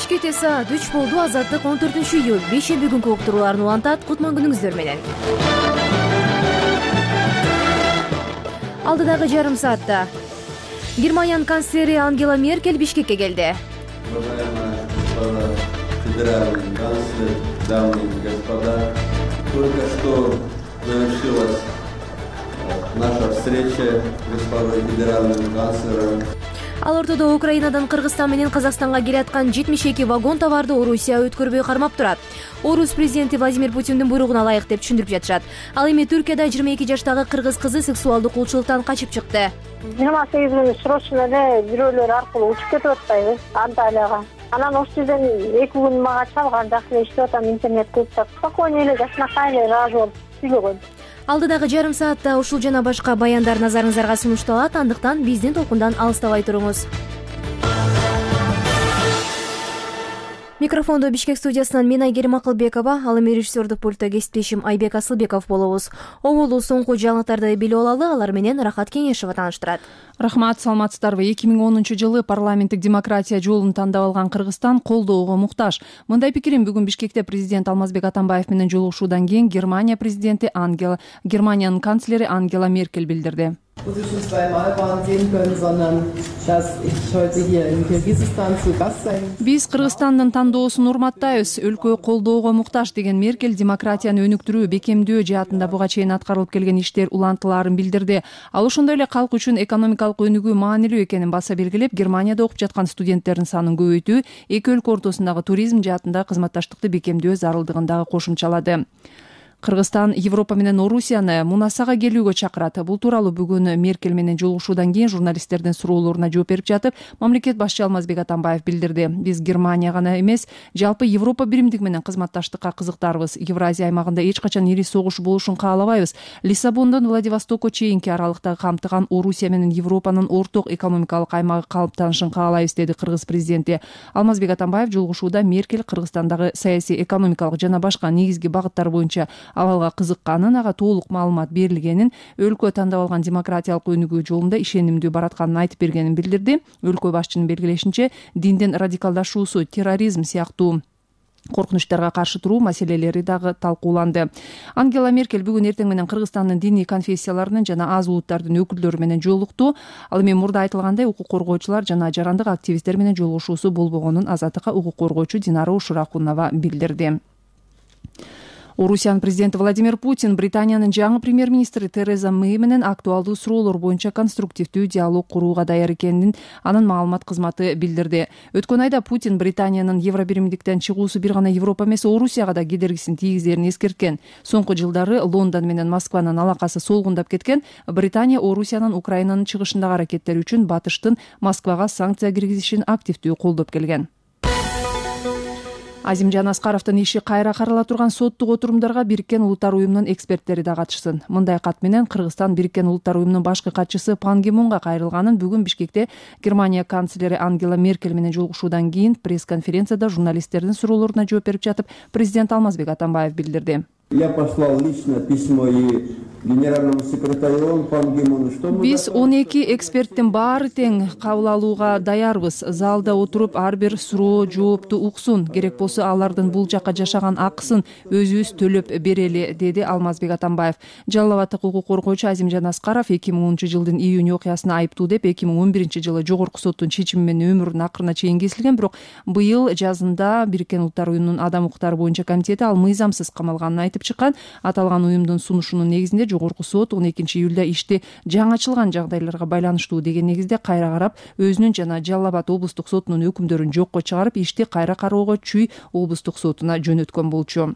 Бишкекте саат 3 болду. Азаттык 14-июль бейшемби күнкү уктурууларын улантат. Кутман күнүңүздөр менен. Алдыдагы жарым саатта Германиянын канцлери Ангела Меркель Бишкекке келди. Федеральный канцлер, дамы и господа, только что завершилась наша встреча с госпожой федеральным канцлером. Ал ортодо Украинадан Кыргызстан менен Казакстанга келаткан 72 вагон товарды Орусия өткөрбөй кармап турат. Орус президенти Владимир Путиндин буйругуна ылайык деп түшүндүрүп жатышат. Ал эми Түркияда 22 жаштагы кыргыз кызы сексуалдык кулчулуктан качып чыкты. 28 күн срочно эле бирөөлөр аркылуу учуп кетип атпайбы Анталияга. Анан ошол жерден 2 күн мага чалган, жакшы эле иштеп атам, интернет көп. Спокойно эле жашынакай эле ыраазы болуп сүйлөгөн. Алдыдагы жарым саатта ушул жана башка баяндар назарыңыздарга сунушталат. Андыктан биздин толкундан алыстабай туруңуз. Микрофондо Бишкек студиясынан мен Айгерим Акылбекова, ал эми режиссердук пультта кесиптешим Айбек Асылбеков болобуз. Оболу соңку жаңылыктарды билип алалы, алар менен Рахат Кеңешова тааныштырат. Рахмат, саламатсыздарбы. 2010 парламенттик демократия жолун тандап алган Кыргызстан колдоого муктаж. Мындай пикирин бүгүн Бишкекте президент Алмазбек Атамбаев менен жолугушуудан кийин Германия Германиянын канцлери Ангела Меркель билдирди. Биз Кыргызстандын тандоосун урматтайбыз, өлкө колдоого муктаж деген Меркель демократияны өнүктүрүү, бекемдөө жаатында буга чейин аткарылып келген иштер улантылаарын билдирди. Ал ошондой эле калк үчүн экономикалык өнүгүү маанилүү экенин баса белгилеп, Германияда окуп жаткан студенттердин санын көбөйтүү, эки өлкө ортосундагы туризм жаатында кызматташтыкты бекемдөө зарылдыгын дагы кошумчалады. Кыргызстан Европа менен Орусияны мунасага келүүгө чакырат. Бул тууралуу бүгүн Меркель менен жолугушуудан кийин журналисттердин суроолоруна жооп берип жатып, мамлекет башчы Алмазбек Атамбаев билдирди. Биз Германия гана эмес, жалпы Европа биримдиги менен кызматташтыкка кызыктарбыз. Евразия аймагында эч качан ири согуш болушун каалабайбыз. Лиссабондон Владивостокко чейинки аралыкта камтыган Орусия менен Европанын орток экономикалык аймагы калыптанышын каалайбыз, деди кыргыз президенти. Алмазбек Атамбаев жолугушууда Меркель Кыргызстандагы саясий, экономикалык жана башка негизги багыттар боюнча абалга кызыкканын, ага толук маалымат берилгенин, өлкө тандап алган демократиялык өнүгүү жолунда ишенимдүү баратканын айтып бергенин билдирди. Өлкө башчынын белгилешинче, диндин радикалдашуусу, терроризм сыяктуу коркунучтарга каршы туруу маселелери дагы талкууланды. Ангела Меркель бүгүн эртең менен Кыргызстандын диний конфессияларынын жана аз улуттардын өкүлдөрү менен жолукту. Ал эми мурда айтылгандай укук коргоочулар жана жарандык активисттер менен жолугушуусу болбогонун Азаттыкка укук коргоочу Динара Ушуракунова билдирди. Орусиянын президенти Владимир Путин Британиянын жаңы премьер-министри Тереза Мэй менен актуалдуу суроолор боюнча конструктивдүү диалог курууга даяр экенин анын маалымат кызматы билдирди. Өткөн айда Путин Британиянын Евробиримдиктен чыгуусу бир гана Европа эмес, Орусияга да кедергисин тийгизерин эскерткен. Соңку жылдары Лондон менен Москванын алакасы солгундап кеткен. Британия Орусиянын Украинанын чыгышындагы аракеттери үчүн Батыштын Москвага санкция киргизишин активдүү колдоп келген. Азимжан Аскаровдун иши кайра карала турган соттук отурумдарга Бириккен Улуттар уюмунун эксперттери да катышсын. Мындай кат менен Кыргызстан Бириккен Улуттар уюмунун башкы катчысы Пан Ги Мунга кайрылганын бүгүн Бишкекте Германия канцлери Ангела Меркель менен жолугушуудан кийин пресс-конференцияда журналисттердин суроолоруна жооп берип жатып, президент Алмазбек Атамбаев билдирди. Я послал лично письмо и генеральному секретарю Пан Ги Муну, что мы... Биз 12 эксперттин баары тең кабыл алууга даярбыз. Залда отуруп ар бир суроо жоопту уксун. Керек болсо алардын бул жакка жашаган акысын өзүбүз төлөп берели, деди Алмазбек Атамбаев. Жалал абадтык укук коргоочу Азимжан Аскаров 2010-жылдын июнь окуясына айыптуу деп 2011-жылы жогорку соттун чечими менен өмүрүнүн акырына чейин кесилген, бирок быйыл жазында Бириккен Улуттар уюмунун адам укуктары боюнча комитети ал мыйзамсыз камалганын айтып чыккан. Аталган уюмдун сунушунун негизинде жогорку сот 12-июлда ишти жаңычылган жагдайларга байланыштуу деген негизде кайра карап, өзүнүн жана Жалал Абад облустук сотунун өкүмдөрүн жокко чыгарып, ишти кайра кароого Чүй облустук сотуна жөнөткөн болчу.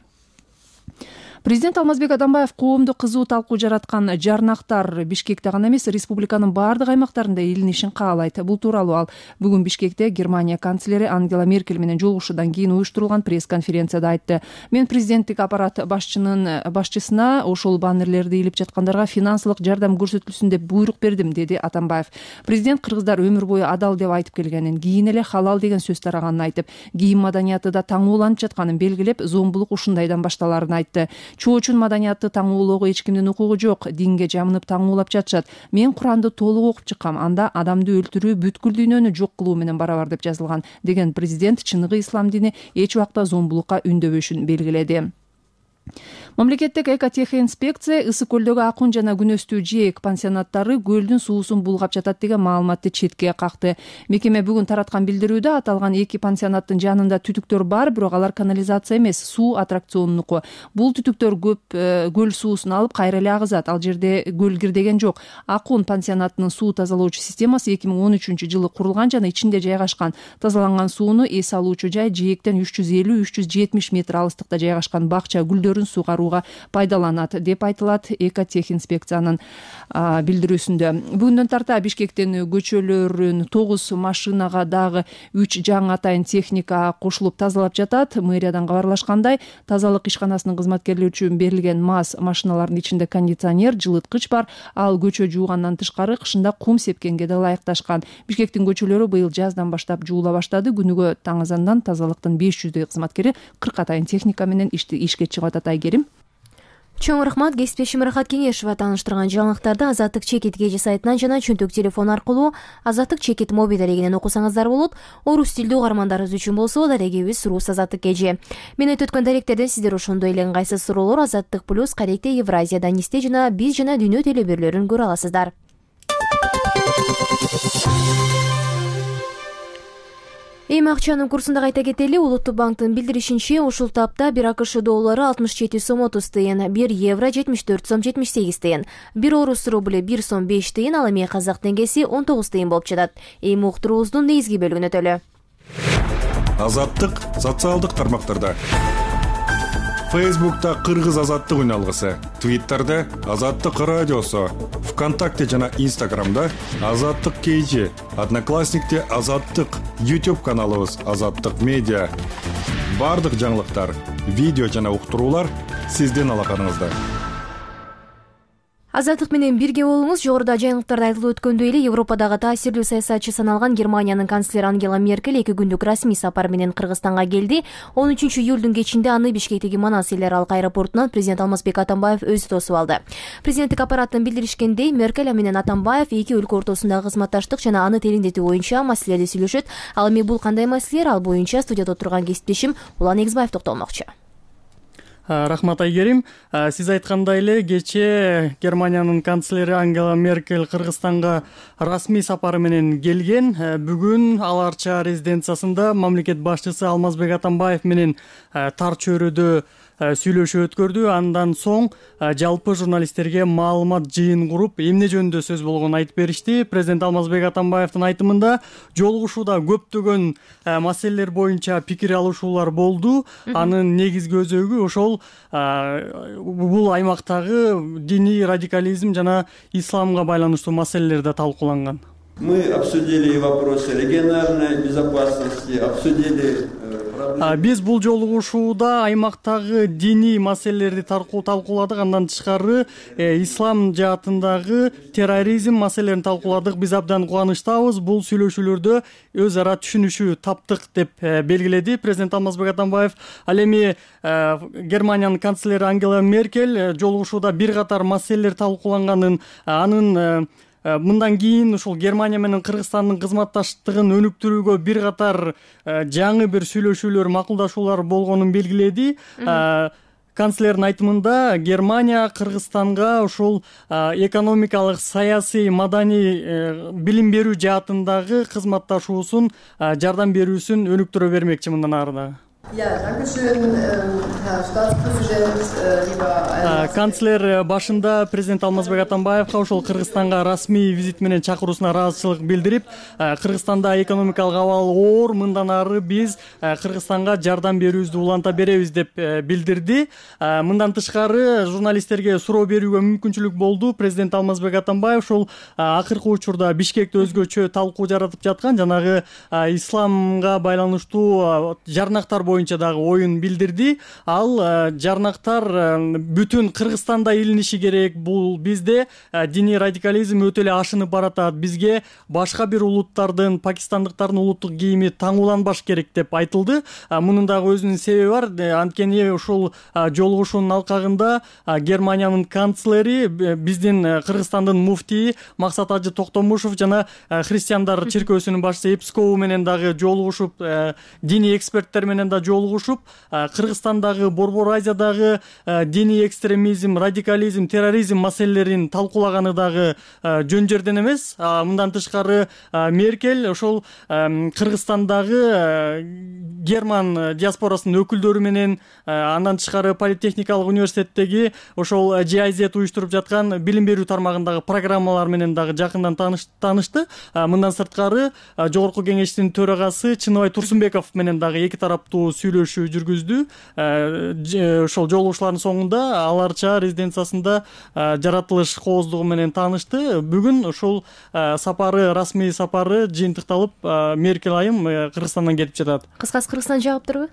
Президент Алмазбек Атамбаев коомдо кызуу талкуу жараткан жарнактар Бишкекте гана эмес, республиканын баардык аймактарында илинишин каалайт. Бул тууралуу ал бүгүн Бишкекте Германия канцлери Ангела Меркель менен жолугушуудан кийин уюштурулган пресс-конференцияда айтты. Мен президенттик аппарат башчысына ошол баннерлерди илип жаткандарга финансылык жардам көрсөтүлсүн деп буйрук бердим, деди Атамбаев. Президент кыргыздар өмүр бою адал деп айтып келгенин, кийин эле халал деген сөз тараганын айтып, кийим маданияты да таңууланып жатканын белгилеп, зомбулук ушундайдан башталарын айтты. Чоочун маданиятты таңуулоого эч кимдин укугу жок. Динге жамынып таңуулап жатышат. Мен Куранды толук окуп чыккам. Анда адамды өлтүрүү бүткүл дүйнөнү жок кылуу менен барабар деп жазылган деген президент чыныгы ислам дини эч убакта зомбулукка үндөбөшүн белгиледи. Мамлекеттик экотехинспекция ысык көлдөгү Акун жана Күнөстүү жээк пансионаттары көлдүн суусун булгап жатат деген маалыматты четке какты. Мекеме бүгүн тараткан билдирүүдө аталган 2 пансионаттын жанында түтүктөр бар, бирок алар канализация эмес, суу аттракционунуку. Бул түтүктөр көп көл суусун алып кайра эле агызат. Ал жерде көл кирдеген жок. Акун пансионатынын суу тазалоочу системасы 2013-жылы курулган жана ичинде жайгашкан. Тазаланган сууну эс алуучу жай жээктен 350-370 метр алыстыкта жайгашкан бакча гүлдөрүн сугарууга пайдаланат деп айтылат экотехинспекциянын билдирүүсүндө. Бүгүндөн тарта Бишкектин көчөлөрүн 9 машинага дагы 3 жаңы атайын техника кошулуп тазалап жатат. Мэриядан кабарлашкандай, тазалык ишканасынын кызматкерлери үчүн берилген МАЗ машиналарынын ичинде кондиционер, жылыткыч бар. Ал көчө жуугандан тышкары кышында кум сепкенге да ылайыкташкан. Бишкектин көчөлөрү быйыл жаздан баштап жуула баштады. Күнүгө таң азандан тазалыктын 500 кызматкери 40 атайын техника менен ишке чыгып атат. Айгерим. Чоң рахмат. Кесиптешим Рахат Кеңешова тааныштырган жаңылыктарды Азаттык Чекит кежи сайтынан жана чөнтөк телефон аркылуу Азаттык Чекит мобиль дарегинен окусаңыздар болот. Орус тилдүү угармандарыбыз үчүн болсо дарегибиз Рус Азаттык кежи. Мен айтып өткөн даректерден сиздер ошондой эле ыңгайсыз суроолор Азаттык плюс Каректе Евразия Данисте жана Биз жана Дүйнө телебөрлөрүн көрө аласыздар. Эми акчанын курсун да кайта кетели. Улуттук банктын билдиришинче, ушул тапта 1 АКШ доллары 67 сом 30 тыйын, 1 евро 74 сом 78 тыйын, 1 орус рубль 1 сом 5 тыйын, ал эми казак теңгеси 19 тыйын болуп жатат. Эми уктуруубуздун негизги бөлүгүнө өтөлү. Азаттык социалдык тармактарда. Фейсбукта Кыргыз азаттык үналгысы, Твиттерде Азаттык радиосу, ВКонтакте жана Инстаграмда Азаттык KG, Одноклассникте Азаттык, YouTube каналыбыз Азаттык медиа. Бардык жаңылыктар, видео жана уктуруулар сиздин алаканыңызда. Азаттык менен бирге болуңуз. Жогоруда жаңылыктарда айтылып өткөндөй эле Европадагы таасирдүү саясатчы саналган Германиянын канцлери Ангела Меркель 2 күндүк расмий сапар менен Кыргызстанга келди. 13 июлдун кечинде аны Бишкектеги Манас эл аралык аэропортунан президент Алмазбек Атамбаев өзү тосуп алды. Президенттик аппараттын билдиришкендей, Меркель менен Атамбаев эки өлкө ортосундагы кызматташтык жана аны тереңдетүү боюнча маселелерди сүйлөшөт. Ал эми бул кандай маселелер? Ал боюнча студияда отурган кесиптешим Улан Эгизбаев токтолмокчу. Рахмат, Айгерим. Сиз айткандай эле кечээ Германиянын канцлери Ангела Меркель Кыргызстанга расмий сапары менен келген. Бүгүн Аларча резиденциясында мамлекет башчысы Алмазбек Атамбаев менен тар чөйрөдө сүйлөшүү өткөрдү. Андан соң жалпы журналисттерге маалымат жыйын куруп, эмне жөнүндө сөз болгонун айтып беришти. Президент Алмазбек Атамбаевдин айтымында жолугушууда көптөгөн маселелер боюнча пикир алышуулар болду. Анын негизги өзөгү ошол бул аймактагы диний радикализм жана исламга байланыштуу маселелерди талкууланган. Мы обсудили вопросы региональной безопасности, обсудили Биз бул жолугушууда аймактагы диний маселелерди талкууладык. Андан тышкары ислам жаатындагы терроризм маселелерин талкууладык. Биз абдан кубанычтабыз. Бул сүйлөшүүлөрдө өз ара түшүнүшүү таптык деп белгиледи президент Алмазбек Атамбаев. Ал эми Германиянын канцлери Ангела Меркель жолугушууда бир катар маселелер талкууланганын, анын мындан кийин ушул Германия менен Кыргызстандын кызматташтыгын өнүктүрүүгө бир катар жаңы бир сүйлөшүүлөр, макулдашуулар болгонун белгиледи. Канцлердин айтымында Германия Кыргызстанга ушул экономикалык, саясий, маданий, билим берүү жаатындагы кызматташуусун, жардам берүүсүн өнүктүрө бермекчи мындан ары дагы. Канцлер башында президент Алмазбек Атамбаевга ошол Кыргызстанга расмий визит менен чакыруусуна ыраазычылык билдирип, Кыргызстанда экономикалык абал оор, мындан ары биз Кыргызстанга жардам берүүбүздү уланта беребиз деп билдирди. Мындан тышкары журналисттерге суроо берүүгө мүмкүнчүлүк болду. Президент Алмазбек Атамбаев ошол акыркы учурда Бишкекте өзгөчө талкуу жаратып жаткан жанагы исламга байланыштуу жарнактар боюнча дагы оюн билдирди. Ал жарнактар бүтүн Кыргызстанда илиниши керек. Бул бизде диний радикализм өтө эле ашынып баратат. Бизге башка бир улуттардын, пакистандыктардын улуттук кийими таңууланбаш керек деп айтылды. Мунун дагы өзүнүн себеби бар. Анткени ушул жолугушуунун алкагында Германиянын канцлери, биздин Кыргызстандын муфтийи Максат Ажы Токтомушев жана христиандар чиркөөсүнүн башчысы Эпскову менен дагы жолугушуп, диний эксперттер менен да жолугушуп, Кыргызстандагы, Борбор Азиядагы диний экстремизм, радикализм, терроризм маселелерин талкуулаганы дагы жөн жерден эмес. Мындан тышкары Меркель ошол Кыргызстандагы герман диаспорасынын өкүлдөрү менен, андан тышкары Политехникалык университеттеги ошол GIZ уюштуруп жаткан билим берүү тармагындагы программалар менен дагы жакындан таанышты. Мындан сырткары Жогорку кеңештин төрагасы Чыныбай Турсунбеков менен дагы эки тараптуу сүйлөшүү жүргүздү. Ошол жолугушуулардын соңунда аларча резиденциясында жаратылыш кооздугу менен таанышты. Бүгүн ушул сапары, расмий сапары жыйынтыкталып, Меркель айым Кыргызстандан кетип жатат. Кыскасы Кыргызстан жагыптырбы?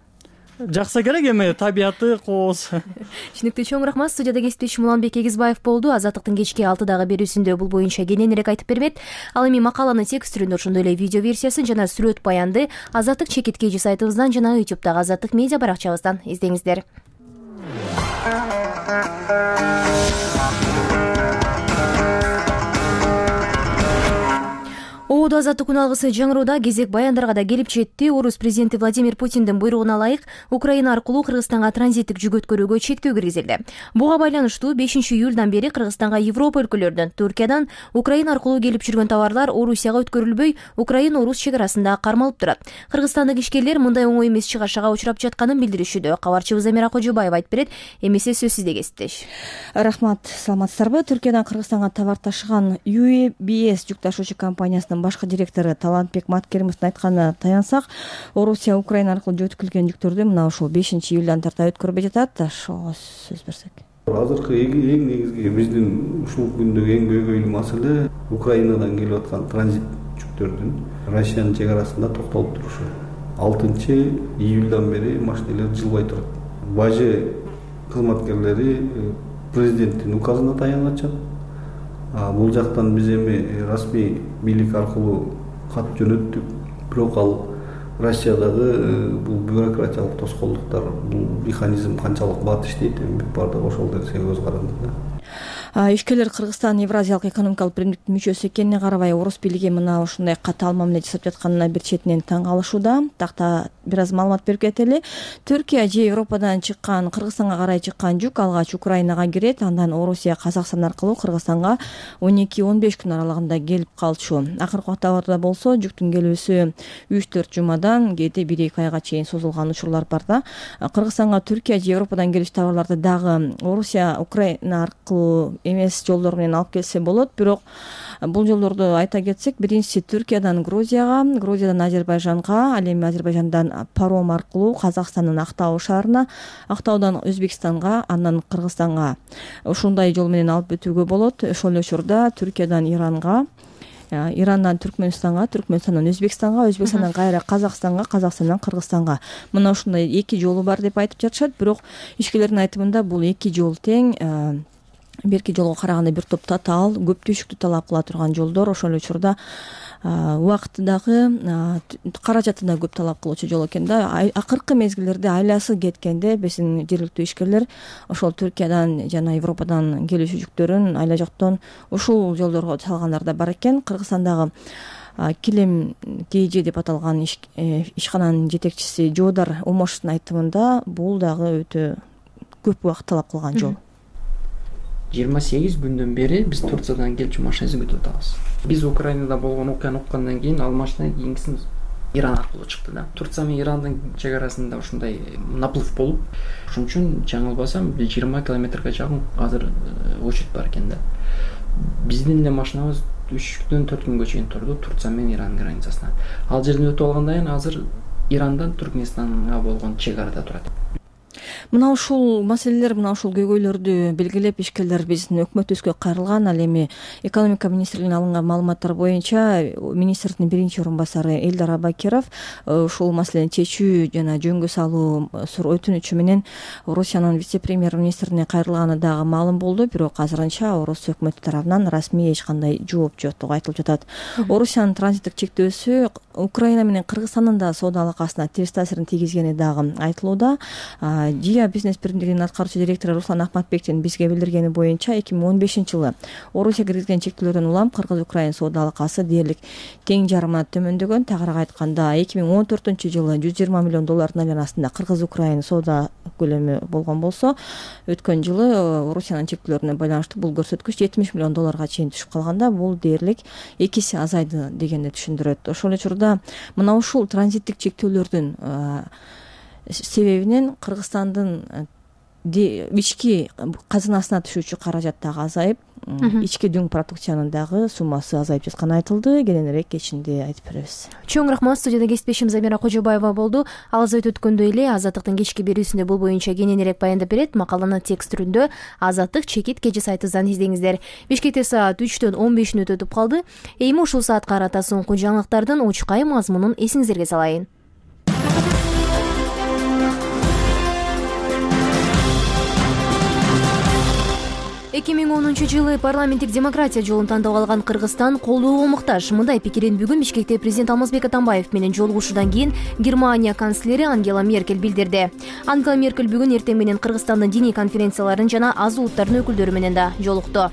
Жакса керек эми, табияты кооз. Түшүнүктүү, чоң рахмат. Студияда кесиптешим Уланбек Эгизбаев болду. Азаттыктын кечки 6-дагы берүүсүндө бул боюнча кененирээк айтып бермек. Ал эми макаланын текст түрүндө, ошондой эле видео версиясын жана сүрөт баянды Азаттык чекиткейжи сайтыбыздан жана YouTube'дагы Азаттык медиа баракчабыздан издеңиздер. Оодо азаттык күн алгысы жаңыроодо кезек баяндарга да келип жетти. Орус президенти Владимир Путиндин буйругуна ылайык Украина аркылуу Кыргызстанга транзиттик жүк өткөрүүгө чектөө киргизилди. Буга байланыштуу 5-июлдан бери Кыргызстанга Европа өлкөлөрүнөн, Түркиядан Украина аркылуу келип жүргөн товарлар Орусияга өткөрүлбөй, Украина-Орус чек арасында кармалып турат. Кыргызстандык ишкерлер мындай оңой эмес чыгашага учурап жатканын билдиришүүдө. Кабарчыбыз Замира Кожобаева айтып берет. Эмесе сөз сизде кесиптеш. Рахмат, саламатсыздарбы? Түркиядан Кыргызстанга товар ташыган UBS жүк ташуучу компаниясынын башкы директору Талантбек Маткеримовдун айтканына таянсак, Орусия Украина аркылуу жөнөтүлгөн жүктөрдү мына ушул 5-июлдан тарта өткөрбөй жатат. Ошого сөз берсек. Азыркы эң негизги биздин ушул күндөгү эң көйгөйлүү маселе Украинадан келип аткан транзит жүктөрдүн Россиянын чек арасында токтолуп турушу. 6-июлдан бери машиналар жылбай турат. Бажы кызматкерлери президенттин указына таянышат. Бул жактан биз эми расмий бийлик аркылуу кат жөнөттүк. Бирок ал Россиядагы бул бюрократиялык тоскоолдуктар, бул механизм канчалык бат иштейт, эми баардыгы ошол нерсеге көз каранды. Ишкерлер Кыргызстан Евразиялык экономикалык биримдиктин мүчөсү экенине карабай, орус бийлиги мына ушундай катаал мамиле жасап жатканына бир четинен таң калышууда. Такта бир аз маалымат берип кетели. Түркия же Европадан чыккан, Кыргызстанга карай чыккан жүк алгач Украинага кирет, андан Орусия, Казакстан аркылуу Кыргызстанга 12-15 күн аралыгында келип калчу. Акыркы убактта болсо жүктүн келүүсү 3-4 жумадан, кээде 1-2 айга чейин созулган учурлар бар да. Кыргызстанга Түркия же Европадан келүүчү товарларды дагы Орусия, Украина аркылуу эмес жолдор менен алып келсе болот. Бирок бул жолдорду айта кетсек, биринчиси Түркиядан Грузияга, Грузиядан Азербайжанга, ал эми Азербайжандан паром аркылуу Казакстандын Актау шаарына, Актаудан Өзбекстанга, андан Кыргызстанга ушундай жол менен алып өтүүгө болот. Ошол эле учурда Түркиядан Иранга, Ирандан Түркмөнстанга, Түркмөнстандан Өзбекстанга, Өзбекстандан кайра Казакстанга, Казакстандан Кыргызстанга. Мына ушундай эки жолу бар деп айтып жатышат. Бирок ишкерлердин айтымында бул эки жол тең, берки жолго караганда бир топ татаал, көп түшүктү талап кыла турган жолдор. Ошол эле учурда убакыты дагы, каражаты да көп талап кылуучу жол экен да. Акыркы мезгилдерде айласы кеткенде биздин жергиликтүү ишкерлер ошол Түркиядан жана Европадан келүүчү жүктөрүн айла жоктон ушул жолдорго салгандар да бар экен. Кыргызстандагы Килим КЖ деп аталган ишкананын жетекчиси Жоодар Омошовдун айтымында бул дагы өтө көп убакыт талап кылган жол. 28 күндөн бери биз Турциядан келчү машинабызды күтүп атабыз. Биз Украинада болгон окуяны уккандан кийин ал машина кийинкисин Иран аркылуу чыкты да. Турция менен Ирандын чек арасында ушундай наплыв болуп, ошон үчүн жаңылбасам 20 километрге жакын азыр очередь бар экен да. Биздин эле машинабыз 3-4 күнгө чейин турду Турция менен Иран границасына. Ал жерден өтүп алгандан кийин азыр Ирандан Түркмөнстанга болгон чек арада турат. Мына ушул маселелер, мына ушул көйгөйлөрдү белгилеп ишкерлер биздин өкмөтүбүзгө кайрылган. Ал эми экономика министрлигинен алынган маалыматтар боюнча министрдин биринчи орун басары Элдар Абакиров ушул маселени чечүү жана жөнгө салуу өтүнүчү менен Орусиянын вице-премьер-министрине кайрылганы дагы маалым болду. Бирок азырынча Орус өкмөтү тарабынан расмий эч кандай жооп жоктугу айтылып жатат. Орусиянын транзиттик чектөөсү Украина менен Кыргызстандын да соода алакасына терс таасирин тийгизгени дагы айтылууда. ЖИА бизнес биримдигинин аткаруучу директору Руслан Ахматбектин бизге билдиргени боюнча 2015-жылы Орусия киргизген чектөөлөрдөн улам Кыргыз-Украина соода алакасы дээрлик тең жарымына төмөндөгөн. Тагыраак айтканда 2014-жылы $120 миллион айланасында Кыргыз-Украина соода көлөмү болгон болсо, өткөн жылы Орусиянын чектөөлөрүнө байланыштуу бул көрсөткүч $70 миллион чейин түшүп калганда, бул дээрлик 2 эсе азайды дегенди түшүндүрөт. Ошол эле учурда мына ушул транзиттик чектөөлөрдүн себебинен Кыргызстандын ички казынасына түшүүчү каражат дагы азайып, ички дүң продукциянын дагы суммасы азайып жатканы айтылды. Кененирээк кечинде айтып беребиз. Чоң рахмат. Студияда кесиптешим Замира Кожобаева болду. Ал азайт өткөндөй эле Азаттыктын кечки берүүсүндө бул боюнча кененирээк баяндап берет. Макаланы текст түрүндө Азаттык чекит кечи сайтыбыздан издеңиздер. Бишкекте саат 3-төн 15 мүнөт өтүп калды. Эми ушул саатка карата соңку жаңылыктардын учкай мазмунун эсиңиздерге салайын. 2010-жылы парламенттик демократия жолун тандап алган Кыргызстан колдоого муктаж. Мындай пикирин бүгүн Бишкекте президент Алмазбек Атамбаев менен жолугушуудан кийин Германия канцлери Ангела Меркель билдирди. Ангела Меркель бүгүн эртең менен Кыргызстандын диний конференцияларын жана аз улуттардын өкүлдөрү менен да жолукту.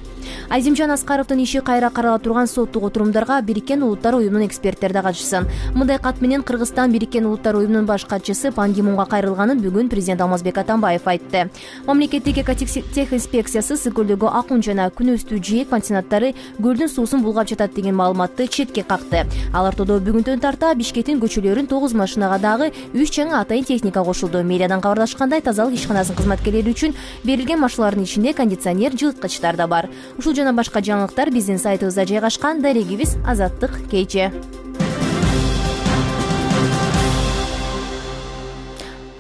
Азимжан Аскаровдун иши кайра карала турган соттук отурумдарга Бириккен Улуттар уюмунун эксперттери да катышсын. Мындай кат менен Кыргызстан Бириккен Улуттар уюмунун баш катчысы Пан Ги Мунга кайрылганын бүгүн президент Алмазбек Атамбаев айтты. Мамлекеттик экотехинспекциясы Сыкөлдөгү акун жана күнөстүү жээк пансионаттары көлдүн суусун булгап жатат деген маалыматты четке какты. Ал ортодо бүгүнтөн тарта Бишкектин көчөлөрүн 9 машинага дагы 3 жаңы атайын техника кошулду. Мэриядан кабарлашкандай, тазалык ишканасынын кызматкерлери үчүн берилген машиналардын ичинде кондиционер, жылыткычтар да бар. Ушул жана башка жаңылыктар биздин сайтыбызда жайгашкан. Дарегибиз Азаттык KG.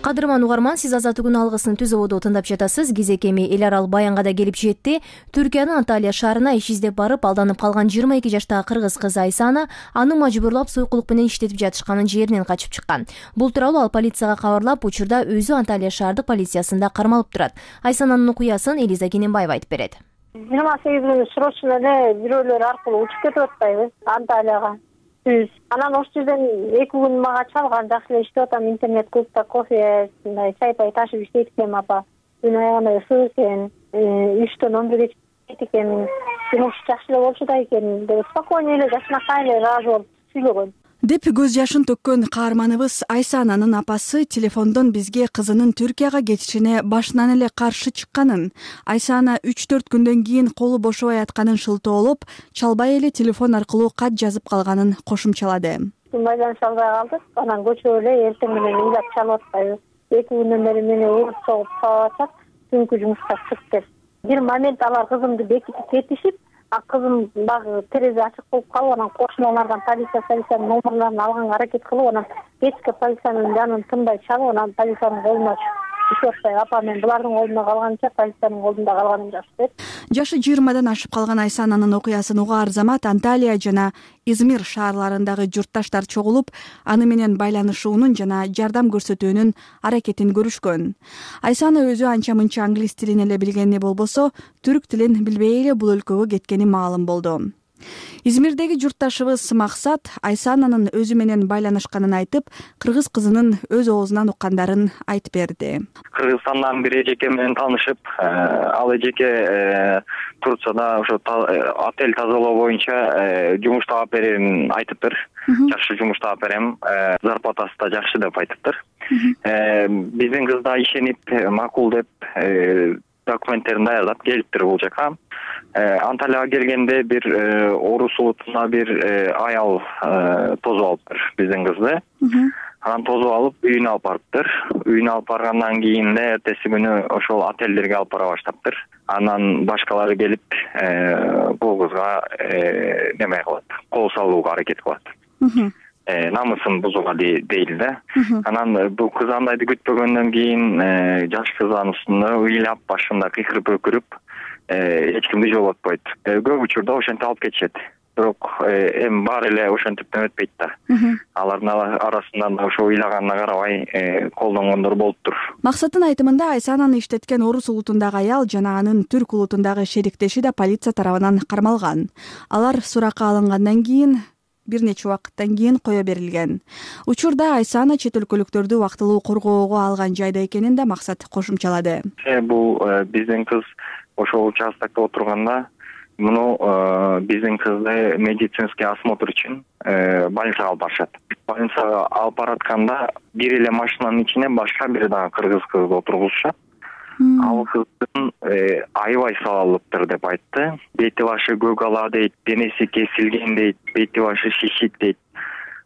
Кадырман угарман, сиз Азаттыктын алгысын түзөбодо тыңдап жатасыз. Кезек эми эл арал баянга да келип жетти. Түркиянын Анталия шаарына иш издеп барып алданып калган 22 жаштагы кыргыз кызы Айсана аны мажбурлап сойкулук менен иштетип жатышканын жеринен качып чыккан. Бул тууралуу ал полицияга кабарлап, учурда өзү Анталия шаардык полициясында кармалып турат. Айсананын окуясын Элиза Кененбаева айтып берет. 28 күнү срочно эле бирөөлөр аркылуу учуп кетип атпайбы Анталияга. Анан ошол жерден 2 күн мага чалган, жакшы эле иштеп атам, интернет клубда кофе, чай-пай ташып иштейт экенмин апа. Күн аягында ысык экен, 3-төн 11-ге чейин экен, жумуш жакшы эле болчу да экен деп спокойно эле жашынакай эле ыраазы болуп сүйлөгөн деп көз жашын төккөн каарманыбыз Айсананын апасы телефондон бизге кызынын Түркияга кетишине башынан эле каршы чыкканын, Айсана 3-4 күндөн кийин колу бошобой атканын шылтоолоп, чалбай эле телефон аркылуу кат жазып калганын кошумчалады. Байланыша албай калдык, анан көчүп эле эртең менен ыйлап чалып атпайбы. 2 күндөн бери мени урут согуп чалып атат, түнкү жумушка чык деп. Бир момент алар кызымды бекитип кетишип, кызым багы терезе ачык болуп калып, анан кошуналардан полициянын номерлерин алганга аракет кылып, анан кечке полициянын жанын тынбай чалып, анан полициянын колуна түшүп атпай, апа мен булардын колунда калганча полициянын колунда калганым жакшы деп. Жашы 20-дан ашып калган Айсананын окуясын угаар замат Анталия жана Измир шаарларындагы журтташтар чогулуп, аны менен байланышуунун жана жардам көрсөтүүнүн аракетин көрүшкөн. Айсана өзү анча-мынча англис тилин эле билгени болбосо, түрк тилин билбей эле бул өлкөгө кеткени маалым болду. Измирдеги журтташыбыз Максат Айсананын өзү менен байланышканын айтып, кыргыз кызынын өз оозунан уккандарын айтып берди. Кыргызстандан бир эжеке менен таанышып, ал эжеке Турцияда ошо отель тазалоо боюнча жумуш таап берерин айтыптыр. Жакшы жумуш таап берем, зарплатасы да жакшы деп айтыптыр. Биздин кыз да ишенип, макул деп документтерин даярдап келиптир бул жака. Анталияга келгенде бир орус улутуна бир аял тосуп алыптыр биздин кызды. Анан тосуп алып үйүнө алып барыптыр. Үйүнө алып баргандан кийин эле эртеси күнү ошол отелдерге алып бара баштаптыр. Анан башкалары келип бул кызга неме кылат, кол салууга аракет кылат. намысын бузууга дейли да. Анан бул кыз андайды күтпөгөндөн кийин жаш кыз анын үстүнө ыйлап башында кыйкырып өкүрүп эч кимди жолотпойт. Көп учурда ошентип алып кетишет. Бирок эми баары эле ошентиптен өтпөйт да. Алардын арасында да ошо ыйлаганына карабай колдонгондор болуптур. Максаттын айтымында Айсананы иштеткен орус улутундагы аял жана анын түрк улутундагы шериктеши да полиция тарабынан кармалган. Алар суракка алынгандан кийин бир нече убакыттан кийин кое берилген. Учурда Айсана чет өлкөлүктөрдү убактылуу коргоого алган жайда экенин да Максат кошумчалады. Бул биздин кыз ошол участокто отурганда муну биздин кызды медицинский осмотр үчүн больницага алып барышат. Больницага алып баратканда бир эле машинанын ичине башка бир дагы кыргыз кызды отургузушат. Ал кыздын аябай салалыптыр деп айтты. Бети башы көгала дейт, денеси кесилген дейт, бети башы шишик дейт.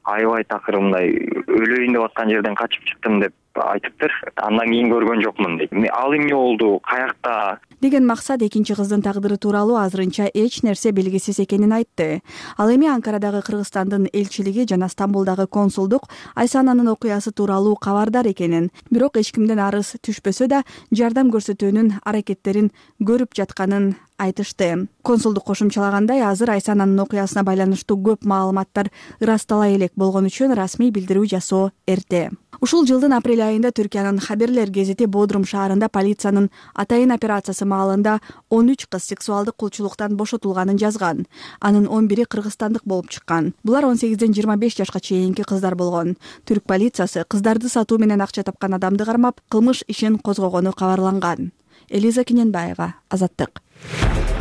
Аябай такыр мындай өлөйүн деп аткан жерден качып чыктым деп айтыптыр. Андан кийин көргөн жокмун дейт. Ал эмне болду, каякта деген Максат экинчи кыздын тагдыры тууралуу азырынча эч нерсе белгисиз экенин айтты. Ал эми Анкарадагы Кыргызстандын элчилиги жана Стамбулдагы консулдук Айсананын окуясы тууралуу кабардар экенин, бирок эч кимден арыз түшпөсө да жардам көрсөтүүнүн аракеттерин көрүп жатканын айтышты. Консулдук кошумчалагандай, азыр Айсананын окуясына байланыштуу көп маалыматтар ырастала элек болгон үчүн расмий билдирүү жасоо эрте. Ушул жылдын апрель айында Түркиянын Хаберлер гезити Бодрум шаарында полициянын атайын операциясы маалында 13 кыз сексуалдык кулчулуктан бошотулганын жазган. Анын 11-и кыргызстандык болуп чыккан. Булар 18ден 25 жашка чейинки кыздар болгон. Түрк полициясы кыздарды сатуу менен акча тапкан адамды кармап, кылмыш ишин козгогону кабарланган. Элиза Кененбаева, Азаттык.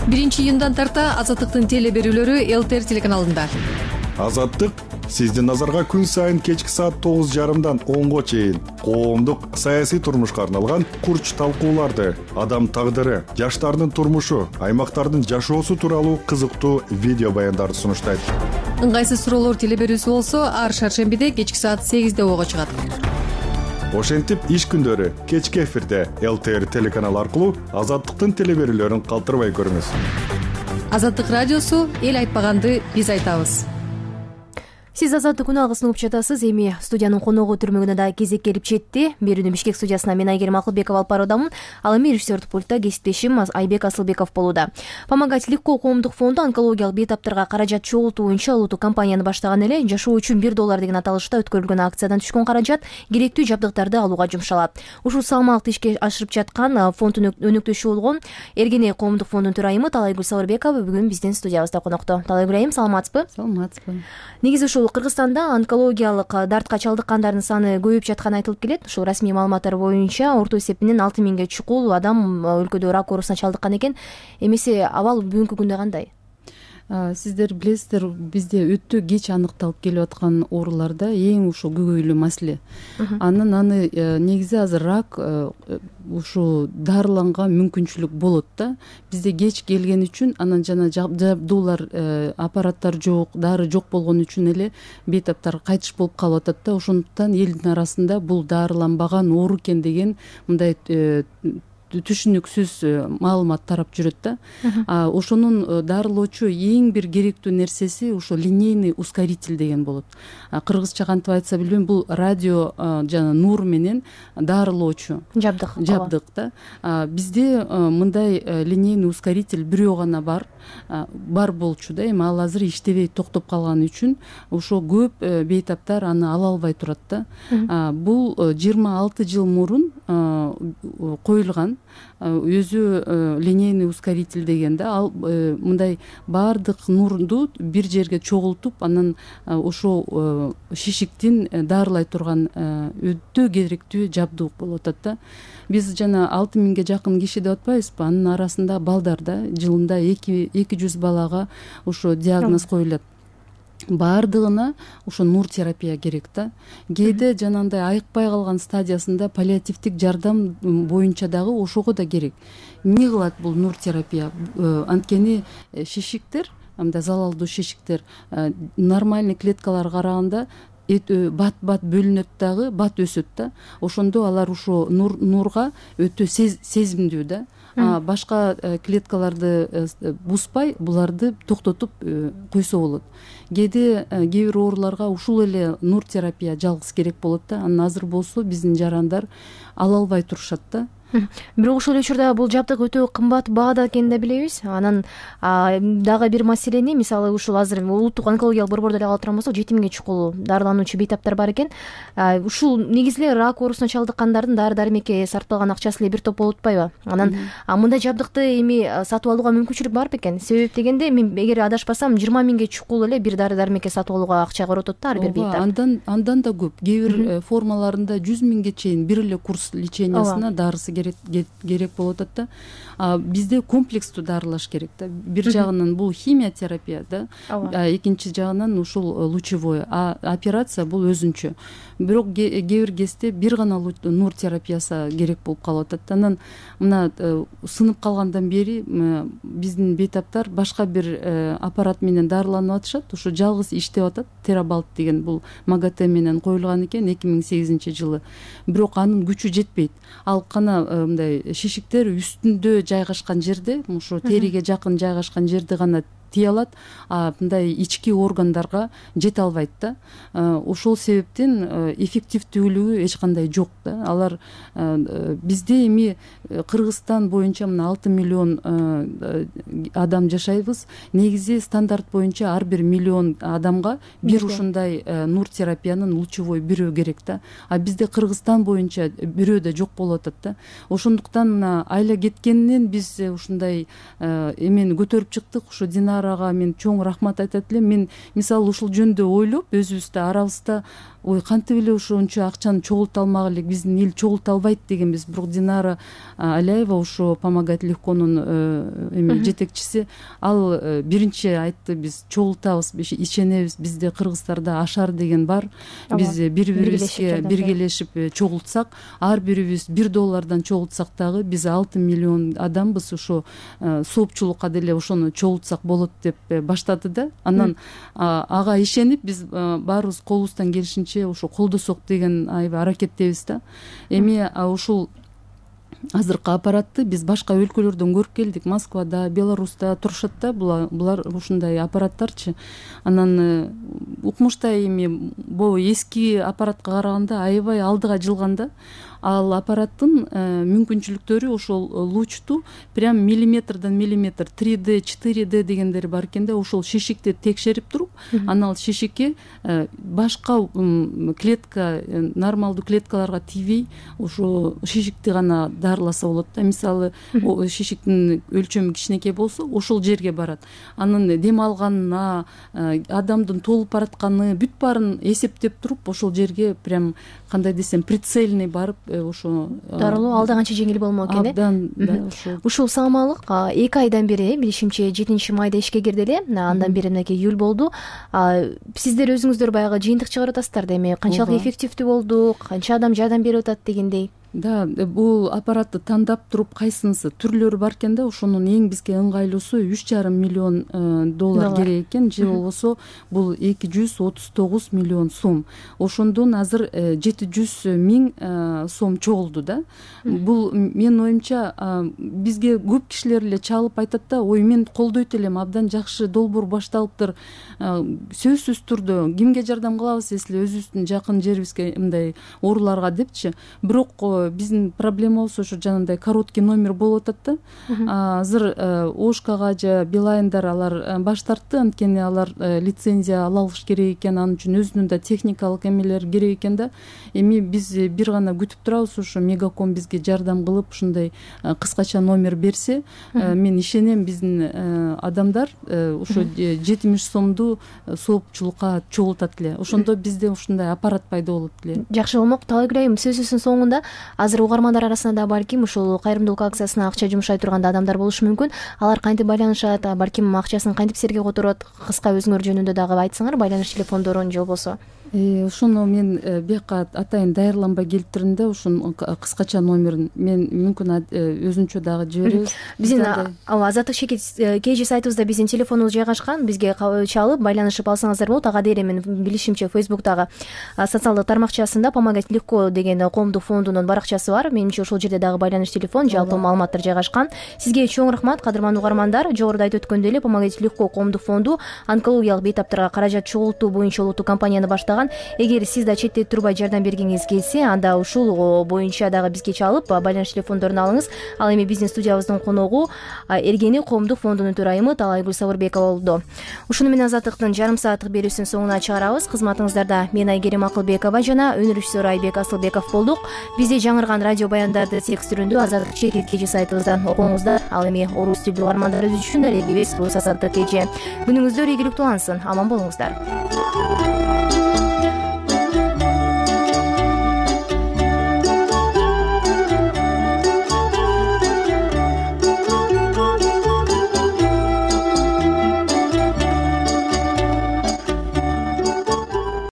1-июндан тарта Азаттыктын теле берүүлөрү ЛТР телеканалында. Азаттык сиздин назарга күн сайын кечки саат 9:30дан 10го чейин коомдук саясий турмушка арналган курч талкууларды, адам тагдыры, жаштардын турмушу, аймактардын жашоосу тууралуу кызыктуу видео баяндарды сунуштайт. Ыңгайсыз суроолор теле берүүсү болсо, ар шаршембиде кечки саат 8де ого чыгат. Ошентип иш күндөрү кечки эфирде ЛТР телеканалы аркылуу Азаттыктын теле берүүлөрүн калтырбай көрүңүз. Азаттык радиосу эл айтпаганды биз айтабыз. Сиз Азаттык күнү алгысын угуп жатасыз. Эми студиянын коногу түрмөгүнө да кезек келип жетти. Берүүнү Бишкек студиясына мен Айгерим Акылбекова алып баруудамын. Ал эми режиссердик пультта кесиптешим Айбек Асылбеков болууда. Помогать легко коомдук фонду онкологиялык бейтаптарга каражат чогултуу боюнча улуттук кампанияны баштаган эле. Жашоо үчүн $1 деген аталышта өткөрүлгөн акциядан түшкөн каражат керектүү жабдыктарды алууга жумшалат. Ушул салмактуу ишке ашырып жаткан фонддун өнөктөшү болгон Эргене коомдук фондунун төрайымы Талайгүл Сабырбекова бүгүн биздин студиябызда конокто. Талайгүл айым, саламатсызбы? Саламатсызбы. Негизи ушул Кыргызстанда онкологиялык дартка чалдыккандардын саны көбөйүп жатканы айтылып келет. Ушул расмий маалыматтар боюнча орто эсепинен 6000ге чукул адам өлкөдө рак оорусуна чалдыккан экен. Эмесе абал бүгүнкү күндө кандай? Сиздер билесиздер, бизде өтө кеч аныкталып келип аткан ооруларда эң ушул көйгөйлүү маселе. Аны негизи азыр рак ушу дарыланга мүмкүнчүлүк болот да. Бизде кеч келген үчүн, анан жана жабдуулар, аппараттар жок, дары жок болгон үчүн эле бейтаптар кайтыш болуп калып атат да. Ошондуктан элдин арасында бул дарыланбаган оору экен деген мындай түшүнүксүз маалымат тарап жүрөт да. Ошонун дарылоочу эң бир керектүү нерсеси ошо линейный ускоритель деген болот. Кыргызча кантип айтса билбейм, бул радио жана нур менен дарылоочу жабдык да. Бизде мындай линейный ускоритель бирөө гана бар болчу да. Эми ал азыр иштебей токтоп калганы үчүн ошо көп бейтаптар аны ала албай турат да. Бул 26 жыл мурун коюлган өзү линейный ускоритель деген да. Ал мындай баардык нурду бир жерге чогултуп, анан ошо шишиктин дарылай турган өтө керектүү жабдык болуп атат да. Биз жана 6000ге жакын киши деп атпайбызбы? Анын арасында балдар да, жылында 200 балага ошо диагноз коюлат. Баардыгына ошо нур терапия керек да. Кээде жанагындай айыкпай калган стадиясында паллиативдик жардам боюнча дагы ошого да керек. Эмне кылат бул нур терапия? Анткени шишиктер, мындай залалдуу шишиктер нормальный клеткаларга караганда бат бөлүнөт дагы, бат өсөт да. Ошондо алар ошо нурга өтө сезимдүү да. башка клеткаларды бузбай буларды токтотуп койсо болот. Кээде кээ бир ооруларга ушул эле нур терапия жалгыз керек болот да. Анан азыр болсо биздин жарандар ала албай турушат да. Бирок ошол эле учурда бул жабдык өтө кымбат баада экенин да билебиз. Анан дагы бир маселени, мисалы ушул азыр улуттук онкологиялык борбордо эле ала турган болсок 7000 чукул дарылануучу бейтаптар бар экен. Ушул негизи эле рак оорусуна чалдыккандардын дары дармекке сарпталган акчасы эле бир топ болуп атпайбы? Анан мындай жабдыкты эми сатып алууга мүмкүнчүлүк бар бекен? Себеп дегенде мен эгер адашпасам 20 000 чукул эле бир дары дармекке сатып алууга акча коротот да ар бир бейтап. Андан да көп. Кээ бир формаларында 100 000 чейин бир эле курс лечениясына дарысы керек болуп атат да. Бизде комплекстүү дарылаш керек да. Бир жагынан бул химия терапия да, экинчи жагынан ушул лучевой, операция бул өзүнчө. Бирок кээ бир кезде бир гана нур терапиясы керек болуп калып атат. Анан мына сынып калгандан бери биздин бейтаптар башка бир аппарат менен дарыланып атышат. Ушу жалгыз иштеп атат. Терабалт деген бул МАГАТЭ менен коюлган экен 2008-жылы. Бирок анын күчү жетпейт. Ал кана мындай шишиктер үстүндө жайгашкан жерде, ушу териге жакын жайгашкан жерде гана тие алат, мындай ички органдарга жете албайт да. Ошол себептен эффективдүүлүгү эч кандай жок да. Алар бизде эми Кыргызстан боюнча мына 6 миллион адам жашайбыз. Негизи стандарт боюнча ар бир миллион адамга бир ушундай нур терапиянын лучевой бирөө керек да. Бизде Кыргызстан боюнча бирөө да жок болуп атат да. Ошондуктан мына айла кеткенинен биз ушундай эмени көтөрүп чыктык. Ушу Динарага мен чоң рахмат айтат элем. Мен мисалы ушул жөнүндө ойлоп өзүбүздө арабызда кантип эле ошончо акчаны чогулта алмак элек, биздин эл чогулта албайт дегенбиз. Бирок Динара Аляева ушу Помогать легконун жетекчиси, ал биринчи айтты, биз чогултабыз, ишенебиз, бизде кыргыздарда ашар деген бар. Биз бири-бирибизге биргелешип чогултсак, ар бирибиз $1 чогултсак дагы биз 6 миллион адамбыз, ошо соопчулукка деле ошону чогултсак болот деп баштады да. Анан ага ишенип биз баарыбыз колубуздан келишинче ошо колдосок деген аябай аракеттебиз да. Эми ушул азыркы аппаратты биз башка өлкөлөрдөн көрүп келдик. Москвада, Беларуста турушат да булар ушундай аппараттарчы. Анан укмуштай эми бул эски аппаратка караганда аябай алдыга жылган да. Ал аппараттын мүмкүнчүлүктөрү ошол лучту прям миллиметрдан миллиметр 3D, 4D дегендери бар экен да. Ошол шишикти текшерип туруп, анан ал шишикке башка клетка, нормалдуу клеткаларга тийбей, ошо шишикти гана дарыласа болот да. Мисалы, шишиктин өлчөмү кичинекей болсо, ошол жерге барат. Анын дем алганына, адамдын толуп баратканы бүт баарын эсептеп туруп, ошол жерге прям кандай десем прицельный барып ошо дарылоо алда канча жеңил болмок экен. Абдан ушул саамалык 2 айдан бери, билишимче 7-майда ишке кирди эле. Андан бери мынакей июль болду. Сиздер өзүңүздөр баягы жыйынтык чыгарып атасыздар да, эми канчалык эффективдүү болду, канча адам жардам берип атат дегендей. Да, бул аппаратты тандап туруп кайсынысы түрлөрү бар экен да. Ошонун эң бизге ыңгайлуусу $3,5 миллион керек экен, же болбосо бул 239 миллион сом. Ошондон азыр 700 000 сом чогулду да. Бул менин оюмча бизге көп кишилер эле чалып айтат да, ой мен колдойт элем, абдан жакшы долбоор башталыптыр. Сөзсүз түрдө кимге жардам кылабыз, эсли өзүбүздүн жакын жерибизге мындай ооруларга депчи. Бирок биздин проблемабыз ошо жанагындай короткий номер болуп атат да. Азыр Ошкага же Билайндар алар баш тартты, анткени алар лицензия ала алыш керек экен, анын үчүн өзүнүн да техникалык эмелер керек экен да. Эми биз бир гана күтүп турабыз, ошо Мегаком бизге жардам кылып ушундай кыскача номер берсе, мен ишенем биздин адамдар ошо 70 сомду соопчулукка чогултат эле. Ошондо бизде ушундай аппарат пайда болот эле. Жакшы болмок. Талайгүл айым, сөзүбүздүн соңунда азыр угармандар арасында да балким ушул кайрымдуулук акциясына акча жумшай турган адамдар болушу мүмкүн. Алар кантип байланышат, балким акчасын кантип силерге которот? Кыска өзүңөр жөнүндө дагы айтсаңар, байланыш телефондорун же болбосо. Ошону мен бияка атайын даярданбай келиптирдим да, ушунун кыскача номерин мен мүмкүн өзүнчө дагы жиберебиз. Биздин Азаттык KG сайтыбызда биздин телефонубуз жайгашкан. Бизге чалып байланышып алсаңыздар болот. Ага дейм мен билишимче Facebook'тагы социалдык тармакчасында Помогать легко деген коомдук фондунун бар баракчасы бар. Менимче ошол жерде дагы байланыш телефон, жалпы маалыматтар жайгашкан. Сизге чоң рахмат, кадырман угармандар. Жогоруда айтып өткөндөй эле Помогать легко коомдук фонду онкологиялык бейтаптарга каражат чогултуу боюнча улуттук кампанияны баштаган. Эгер сиз да четте турбай жардам бергиңиз келсе, анда ушул боюнча дагы бизге чалып байланыш телефондорун алыңыз. Ал эми биздин студиябыздын коногу Эргени коомдук фондунун төрайымы Талайгүл Сабырбекова болду. Ушуну менен Азаттыктын жарым сааттык берүүсүнүн соңуна чыгарабыз. Кызматыңыздарда мен Айгерим Акылбекова жана өнүрүшчүсү Айбек Асылбеков болдук. Бизде жаңырган радио баяндарды текст түрүндө Азаттык чекит кеже сайтыбыздан окуңуздар. Ал эми орус тилдүү угармандар үчүн дарегибиз Азаттык кеже. Күнүңүздөр ийгиликтүү улансын. Аман болуңуздар.